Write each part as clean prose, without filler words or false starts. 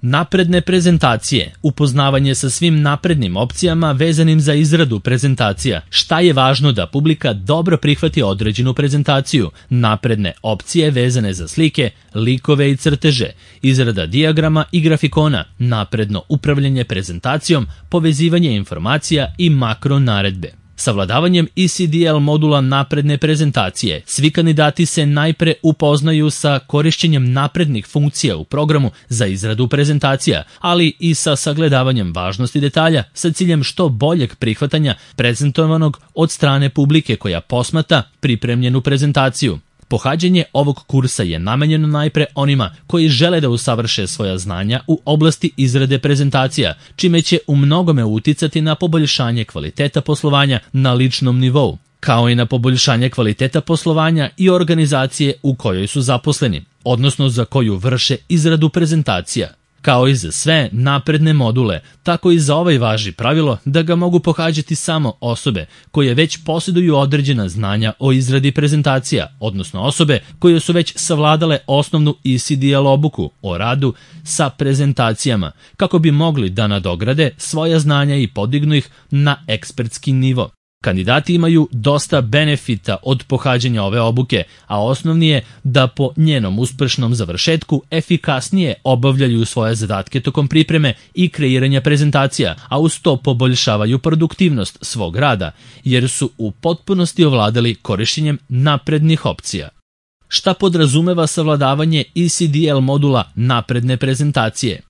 Napredne prezentacije, upoznavanje sa svim naprednim opcijama vezanim za izradu prezentacija. Šta je važno da publika dobro prihvati određenu prezentaciju? Napredne opcije vezane za slike, likove i crteže, izrada dijagrama i grafikona, napredno upravljanje prezentacijom, povezivanje informacija i makro naredbe. Savladavanjem ECDL modula napredne prezentacije, svi kandidati se najpre upoznaju sa korišćenjem naprednih funkcija u programu za izradu prezentacija, ali i sa sagledavanjem važnosti detalja sa ciljem što boljeg prihvatanja prezentovanog od strane publike koja posmatra pripremljenu prezentaciju. Pohađanje ovog kursa je namenjeno najpre onima koji žele da usavrše svoja znanja u oblasti izrade prezentacija, čime će u mnogome uticati na poboljšanje kvaliteta poslovanja na ličnom nivou, kao i na poboljšanje kvaliteta poslovanja i organizacije u kojoj su zaposleni, odnosno za koju vrše izradu prezentacija. Kao i za sve napredne module, tako i za ovaj važi pravilo da ga mogu pohađati samo osobe koje već posjeduju određena znanja o izradi prezentacija, odnosno osobe koje su već savladale osnovnu ECDL obuku o radu sa prezentacijama, kako bi mogli da nadograde svoja znanja i podignu ih na ekspertski nivo. Kandidati imaju dosta benefita od pohađanja ove obuke, a osnovni je da po njenom uspešnom završetku efikasnije obavljaju svoje zadatke tokom pripreme i kreiranja prezentacija, a uz to poboljšavaju produktivnost svog rada, jer su u potpunosti ovladali korišćenjem naprednih opcija. Šta podrazumeva savladavanje ECDL modula napredne prezentacije?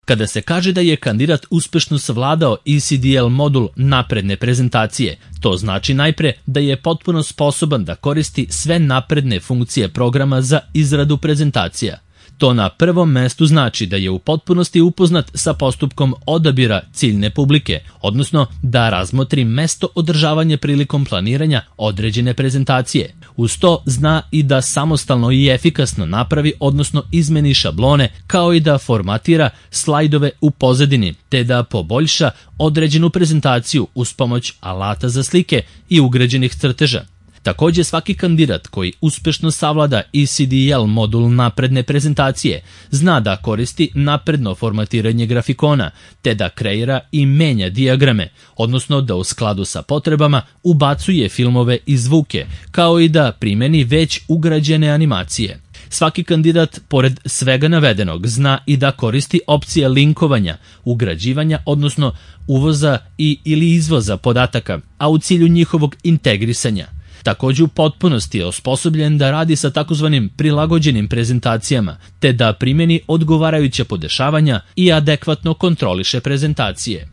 Kada se kaže da je kandidat uspešno savladao ECDL modul napredne prezentacije, to znači najpre da je potpuno sposoban da koristi sve napredne funkcije programa za izradu prezentacija. To na prvom mestu znači da je u potpunosti upoznat sa postupkom odabira ciljne publike, odnosno da razmotri mesto održavanja prilikom planiranja određene prezentacije. Uz to zna i da samostalno i efikasno napravi, odnosno izmeni šablone, kao i da formatira slajdove u pozadini, te da poboljša određenu prezentaciju uz pomoć alata za slike i ugrađenih crteža. Također svaki kandidat koji uspešno savlada ECDL modul napredne prezentacije zna da koristi napredno formatiranje grafikona, te da kreira i menja dijagrame, odnosno da u skladu sa potrebama ubacuje filmove i zvuke, kao i da primeni već ugrađene animacije. Svaki kandidat, pored svega navedenog, zna i da koristi opcije linkovanja, ugrađivanja, odnosno uvoza ili izvoza podataka, a u cilju njihovog integrisanja. Također u potpunosti je osposobljen da radi sa takozvanim prilagođenim prezentacijama, te da primjeni odgovarajuća podešavanja i adekvatno kontroliše prezentacije.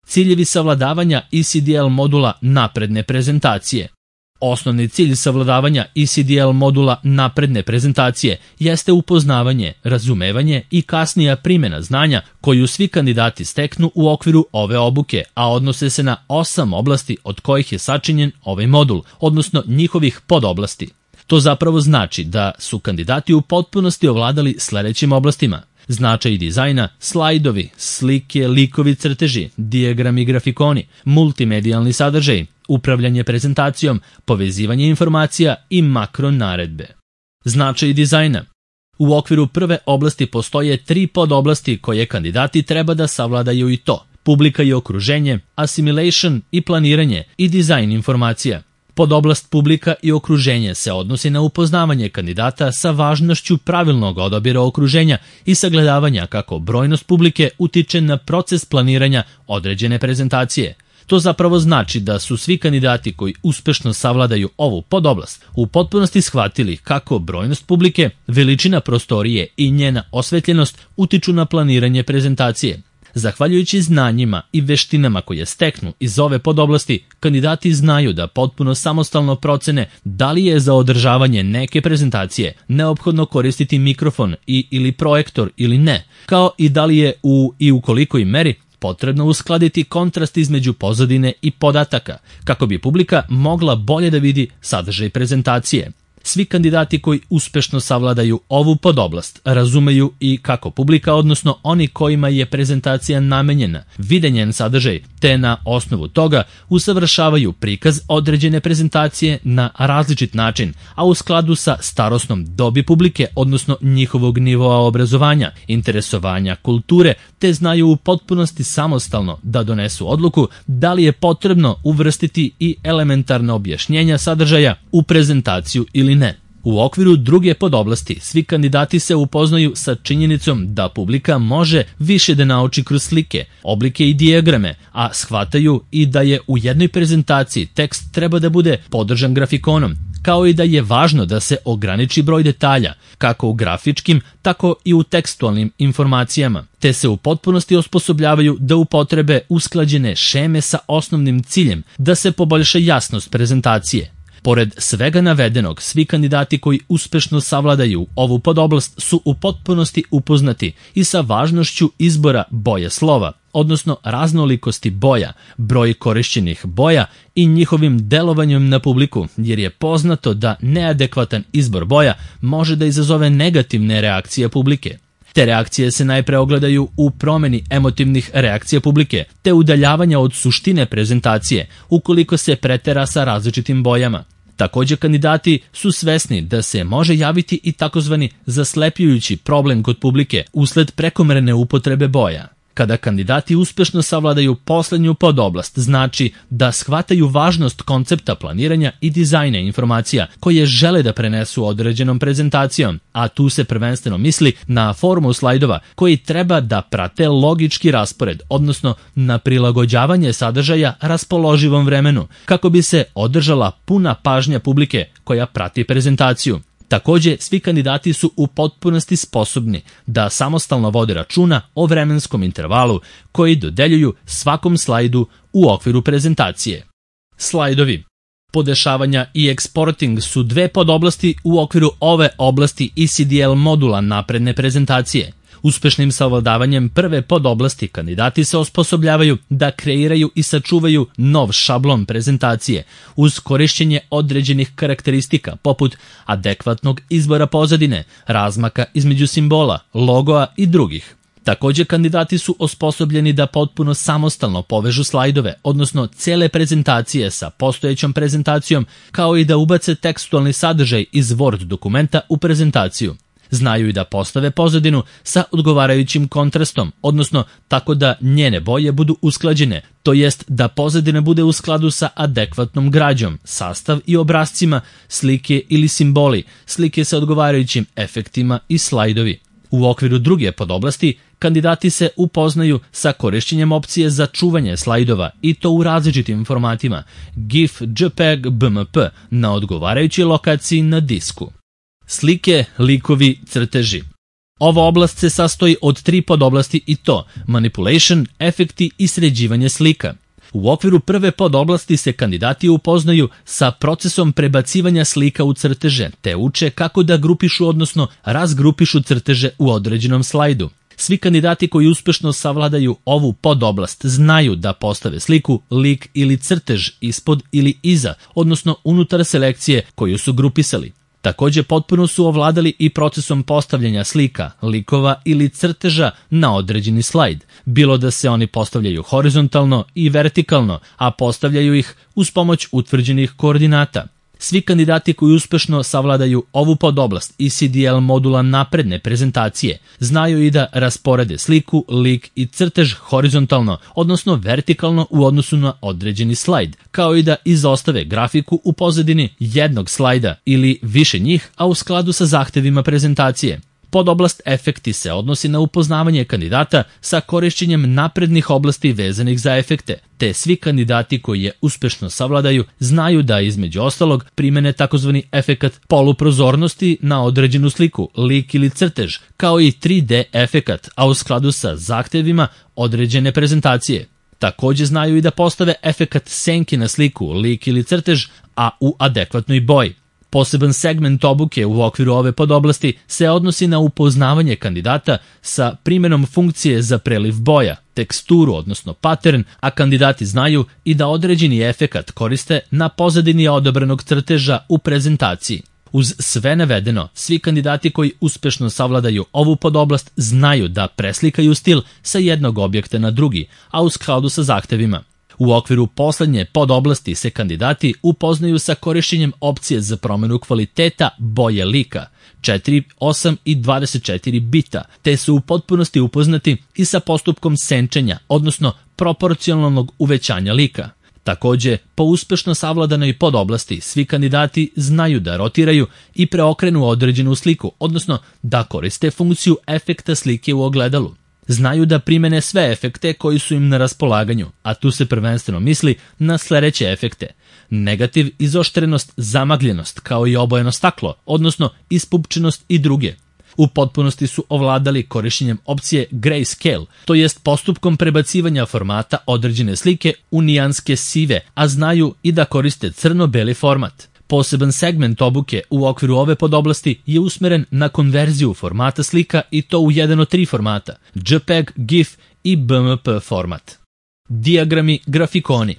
Ciljevi savladavanja ECDL modula napredne prezentacije. Osnovni cilj savladavanja ECDL modula napredne prezentacije jeste upoznavanje, razumevanje i kasnija primjena znanja koju svi kandidati steknu u okviru ove obuke, a odnose se na 8 oblasti od kojih je sačinjen ovaj modul, odnosno njihovih podoblasti. To zapravo znači da su kandidati u potpunosti ovladali sledećim oblastima: značaj dizajna, slajdovi, slike, likovi, crteži, dijagrami, grafikoni, multimedijalni sadržaj, upravljanje prezentacijom, povezivanje informacija i makro naredbe. Značaj dizajna. U okviru prve oblasti postoje 3 podoblasti koje kandidati treba da savladaju, i to: publika i okruženje, assimilation i planiranje i dizajn informacija. Podoblast publika i okruženje se odnosi na upoznavanje kandidata sa važnošću pravilnog odabira okruženja i sagledavanja kako brojnost publike utiče na proces planiranja određene prezentacije. To zapravo znači da su svi kandidati koji uspešno savladaju ovu podoblast u potpunosti shvatili kako brojnost publike, veličina prostorije i njena osvetljenost utiču na planiranje prezentacije. Zahvaljujući znanjima i veštinama koje steknu iz ove podoblasti, kandidati znaju da potpuno samostalno procene da li je za održavanje neke prezentacije neophodno koristiti mikrofon ili projektor ili ne, kao i da li je u kolikoj meri potrebno uskladiti kontrast između pozadine i podataka, kako bi publika mogla bolje da vidi sadržaj prezentacije. Svi kandidati koji uspešno savladaju ovu podoblast razumeju i kako publika, odnosno oni kojima je prezentacija namenjena, vide njen sadržaj, te te na osnovu toga usavršavaju prikaz određene prezentacije na različit način, a u skladu sa starosnom dobi publike, odnosno njihovog nivoa obrazovanja, interesovanja, kulture, te znaju u potpunosti samostalno da donesu odluku da li je potrebno uvrstiti i elementarna objašnjenja sadržaja u prezentaciju ili ne. U okviru druge podoblasti svi kandidati se upoznaju sa činjenicom da publika može više da nauči kroz slike, oblike i dijagrame, a shvataju i da je u jednoj prezentaciji tekst treba da bude podržan grafikonom, kao i da je važno da se ograniči broj detalja, kako u grafičkim, tako i u tekstualnim informacijama, te se u potpunosti osposobljavaju da upotrebe usklađene šeme sa osnovnim ciljem da se poboljša jasnost prezentacije. Pored svega navedenog, svi kandidati koji uspešno savladaju ovu podoblast su u potpunosti upoznati i sa važnošću izbora boje slova, odnosno raznolikosti boja, broj korišćenih boja i njihovim delovanjem na publiku, jer je poznato da neadekvatan izbor boja može da izazove negativne reakcije publike. Te reakcije se najpre ogledaju u promeni emotivnih reakcija publike, te udaljavanja od suštine prezentacije, ukoliko se pretera sa različitim bojama. Takođe, kandidati su svesni da se može javiti i takozvani zaslepljujući problem kod publike usled prekomerne upotrebe boja. Kada kandidati uspešno savladaju poslednju podoblast, znači da shvataju važnost koncepta planiranja i dizajna informacija koje žele da prenesu određenom prezentacijom, a tu se prvenstveno misli na formu slajdova koji treba da prate logički raspored, odnosno na prilagođavanje sadržaja raspoloživom vremenu, kako bi se održala puna pažnja publike koja prati prezentaciju. Takođe, svi kandidati su u potpunosti sposobni da samostalno vode računa o vremenskom intervalu koji dodeljuju svakom slajdu u okviru prezentacije. Slajdovi. Podešavanja i eksporting su dve podoblasti u okviru ove oblasti ECDL modula napredne prezentacije. Uspešnim savladavanjem prve podoblasti kandidati se osposobljavaju da kreiraju i sačuvaju nov šablon prezentacije uz korišćenje određenih karakteristika poput adekvatnog izbora pozadine, razmaka između simbola, logoa i drugih. Takođe, kandidati su osposobljeni da potpuno samostalno povežu slajdove, odnosno cele prezentacije sa postojećom prezentacijom, kao i da ubace tekstualni sadržaj iz Word dokumenta u prezentaciju. Znaju i da postave pozadinu sa odgovarajućim kontrastom, odnosno tako da njene boje budu usklađene, to jest da pozadina bude u skladu sa adekvatnom građom, sastav i obrascima, slike ili simboli, slike sa odgovarajućim efektima i slajdovi. U okviru druge podoblasti, kandidati se upoznaju sa korišćenjem opcije za čuvanje slajdova i to u različitim formatima, GIF, JPEG, BMP, na odgovarajućoj lokaciji na disku. Slike, likovi, crteži. Ova oblast se sastoji od 3 podoblasti i to manipulation, efekti i sređivanje slika. U okviru prve podoblasti se kandidati upoznaju sa procesom prebacivanja slika u crteže, te uče kako da grupišu, odnosno razgrupišu crteže u određenom slajdu. Svi kandidati koji uspešno savladaju ovu podoblast znaju da postave sliku, lik ili crtež ispod ili iza, odnosno unutar selekcije koju su grupisali. Takođe, potpuno su ovladali i procesom postavljanja slika, likova ili crteža na određeni slajd, bilo da se oni postavljaju horizontalno i vertikalno, a postavljaju ih uz pomoć utvrđenih koordinata. Svi kandidati koji uspešno savladaju ovu podoblast ECDL modula napredne prezentacije znaju i da rasporede sliku, lik i crtež horizontalno, odnosno vertikalno u odnosu na određeni slajd, kao i da izostave grafiku u pozadini jednog slajda ili više njih, a u skladu sa zahtevima prezentacije. Podoblast efekti se odnosi na upoznavanje kandidata sa korišćenjem naprednih oblasti vezanih za efekte, te svi kandidati koji je uspešno savladaju znaju da između ostalog primene takozvani efekat poluprozornosti na određenu sliku, lik ili crtež, kao i 3D efekat, a u skladu sa zahtevima određene prezentacije. Takođe znaju i da postave efekat senke na sliku, lik ili crtež, a u adekvatnoj boji. Poseban segment obuke u okviru ove podoblasti se odnosi na upoznavanje kandidata sa primjenom funkcije za preliv boja, teksturu, odnosno pattern, a kandidati znaju i da određeni efekat koriste na pozadini odabranog crteža u prezentaciji. Uz sve navedeno, svi kandidati koji uspešno savladaju ovu podoblast znaju da preslikaju stil sa jednog objekta na drugi, a u skladu sa zahtevima. U okviru poslednje podoblasti se kandidati upoznaju sa korišćenjem opcije za promenu kvaliteta boje lika 4, 8 i 24 bita, te su u potpunosti upoznati i sa postupkom senčenja, odnosno proporcionalnog uvećanja lika. Takođe, po uspešno savladanoj podoblasti, svi kandidati znaju da rotiraju i preokrenu određenu sliku, odnosno da koriste funkciju efekta slike u ogledalu. Znaju da primene sve efekte koji su im na raspolaganju, a tu se prvenstveno misli na sledeće efekte: negativ, izoštrenost, zamagljenost, kao i obojeno staklo, odnosno ispupčenost i druge. U potpunosti su ovladali korišćenjem opcije grayscale, to jest postupkom prebacivanja formata određene slike u nijanske sive, a znaju i da koriste crno-beli format. Poseban segment obuke u okviru ove podoblasti je usmeren na konverziju formata slika i to u jedan od 3 formata: JPEG, GIF i BMP format. Dijagrami, grafikoni.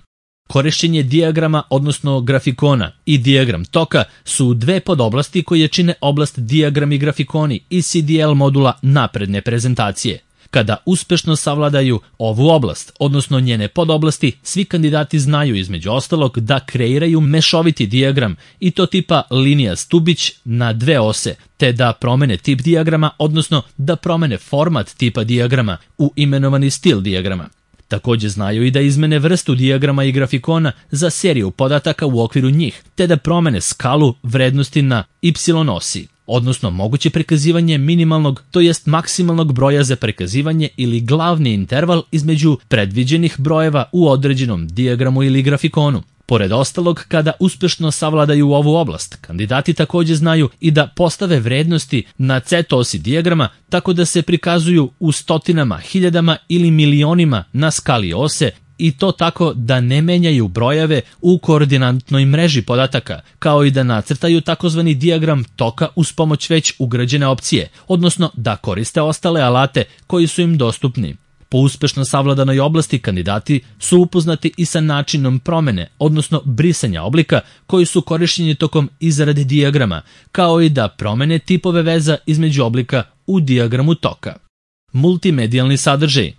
Korišćenje dijagrama, odnosno grafikona, i dijagram toka su 2 podoblasti koje čine oblast dijagrami grafikoni i CDL modula napredne prezentacije. Kada uspešno savladaju ovu oblast, odnosno njene podoblasti, svi kandidati znaju između ostalog da kreiraju mešoviti dijagram i to tipa linija stubić na 2 ose, te da promene tip dijagrama, odnosno da promene format tipa dijagrama u imenovani stil dijagrama. Takođe znaju i da izmene vrstu dijagrama i grafikona za seriju podataka u okviru njih, te da promene skalu vrednosti na y osi, odnosno moguće prikazivanje minimalnog, to jest maksimalnog broja za prikazivanje ili glavni interval između predviđenih brojeva u određenom dijagramu ili grafikonu. Pored ostalog, kada uspešno savladaju ovu oblast, kandidati takođe znaju i da postave vrednosti na z-osi dijagrama tako da se prikazuju u stotinama, hiljadama ili milionima na skali ose, i to tako da ne menjaju brojeve u koordinatnoj mreži podataka, kao i da nacrtaju takozvani dijagram toka uz pomoć već ugrađene opcije, odnosno da koriste ostale alate koji su im dostupni. Po uspešno savladanoj oblasti kandidati su upoznati i sa načinom promene, odnosno brisanja oblika koji su korišćeni tokom izrade dijagrama, kao i da promene tipove veza između oblika u dijagramu toka. Multimedijalni sadržaj.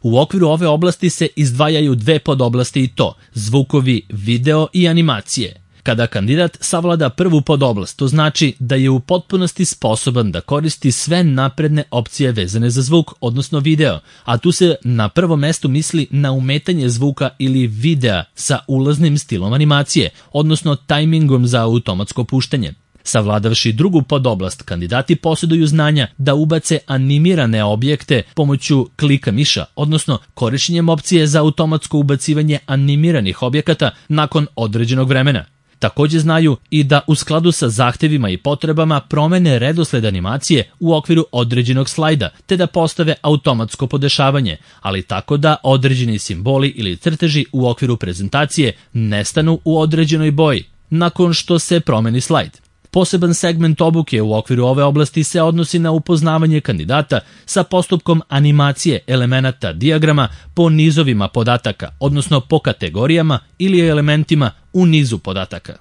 U okviru ove oblasti se izdvajaju 2 podoblasti i to: zvukovi, video i animacije. Kada kandidat savlada prvu podoblast, to znači da je u potpunosti sposoban da koristi sve napredne opcije vezane za zvuk, odnosno video, a tu se na prvom mestu misli na umetanje zvuka ili videa sa ulaznim stilom animacije, odnosno tajmingom za automatsko puštanje. Savladavši drugu podoblast, kandidati posjeduju znanja da ubace animirane objekte pomoću klika miša, odnosno korišćenjem opcije za automatsko ubacivanje animiranih objekata nakon određenog vremena. Takođe znaju i da u skladu sa zahtevima i potrebama promene redosled animacije u okviru određenog slajda, te da postave automatsko podešavanje, ali tako da određeni simboli ili crteži u okviru prezentacije nestanu u određenoj boji nakon što se promeni slajd. Poseban segment obuke u okviru ove oblasti se odnosi na upoznavanje kandidata sa postupkom animacije elemenata dijagrama po nizovima podataka, odnosno po kategorijama ili elementima u nizu podataka.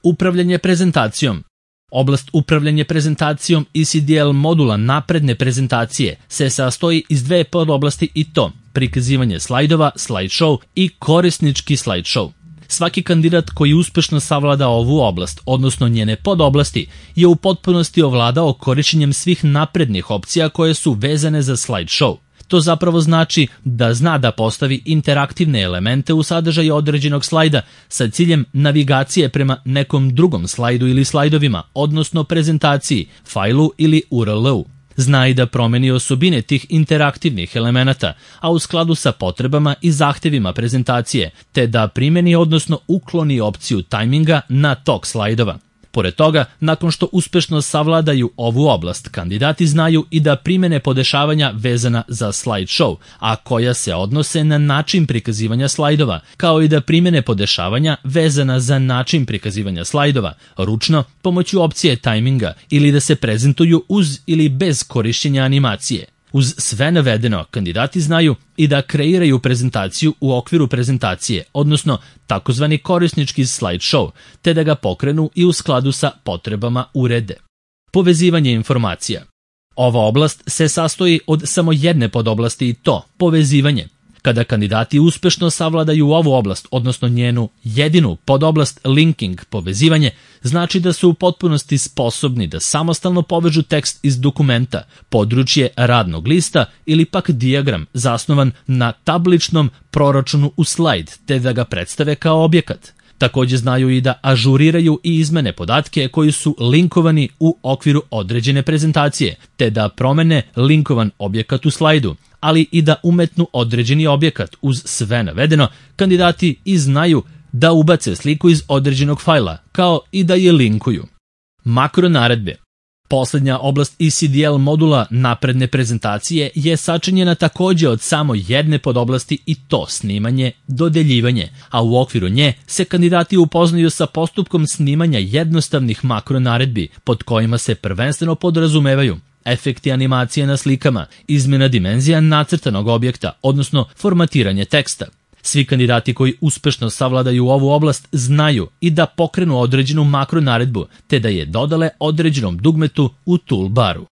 Upravljanje prezentacijom. Oblast upravljanje prezentacijom i CDL modula napredne prezentacije se sastoji iz 2 podoblasti i to: prikazivanje slajdova, slideshow i korisnički slideshow. Svaki kandidat koji uspešno savlada ovu oblast, odnosno njene podoblasti, je u potpunosti ovladao korišćenjem svih naprednih opcija koje su vezane za slideshow. To zapravo znači da zna da postavi interaktivne elemente u sadržaju određenog slajda sa ciljem navigacije prema nekom drugom slajdu ili slajdovima, odnosno prezentaciji, fajlu ili URL-u. Zna i da promeni osobine tih interaktivnih elemenata, a u skladu sa potrebama i zahtevima prezentacije, te da primeni, odnosno ukloni opciju tajminga na tok slajdova. Pored toga, nakon što uspešno savladaju ovu oblast, kandidati znaju i da primene podešavanja vezana za slideshow, a koja se odnose na način prikazivanja slajdova, kao i da primene podešavanja vezana za način prikazivanja slajdova, ručno, pomoću opcije tajminga, ili da se prezentuju uz ili bez korišćenja animacije. Uz sve navedeno, kandidati znaju i da kreiraju prezentaciju u okviru prezentacije, odnosno takozvani korisnički slideshow, te da ga pokrenu i u skladu sa potrebama urede. Povezivanje informacija. Ova oblast se sastoji od samo jedne podoblasti i to: povezivanje. Kada kandidati uspešno savladaju ovu oblast, odnosno njenu jedinu podoblast linking, povezivanje, znači da su u potpunosti sposobni da samostalno povežu tekst iz dokumenta, područje radnog lista ili pak dijagram zasnovan na tabličnom proračunu u slajd, te da ga predstave kao objekat. Takođe znaju i da ažuriraju i izmene podatke koji su linkovani u okviru određene prezentacije, te da promene linkovan objekat u slajdu, ali i da umetnu određeni objekat. Uz sve navedeno, kandidati i znaju da ubace sliku iz određenog fajla, kao i da je linkuju. Makronaredbe. Poslednja oblast ECDL modula napredne prezentacije je sačinjena takođe od samo jedne podoblasti i to snimanje, dodeljivanje, a u okviru nje se kandidati upoznaju sa postupkom snimanja jednostavnih makronaredbi, pod kojima se prvenstveno podrazumevaju efekti animacije na slikama, izmjena dimenzija nacrtanog objekta, odnosno formatiranje teksta. Svi kandidati koji uspešno savladaju ovu oblast znaju i da pokrenu određenu makronaredbu, te da je dodale određenom dugmetu u toolbaru.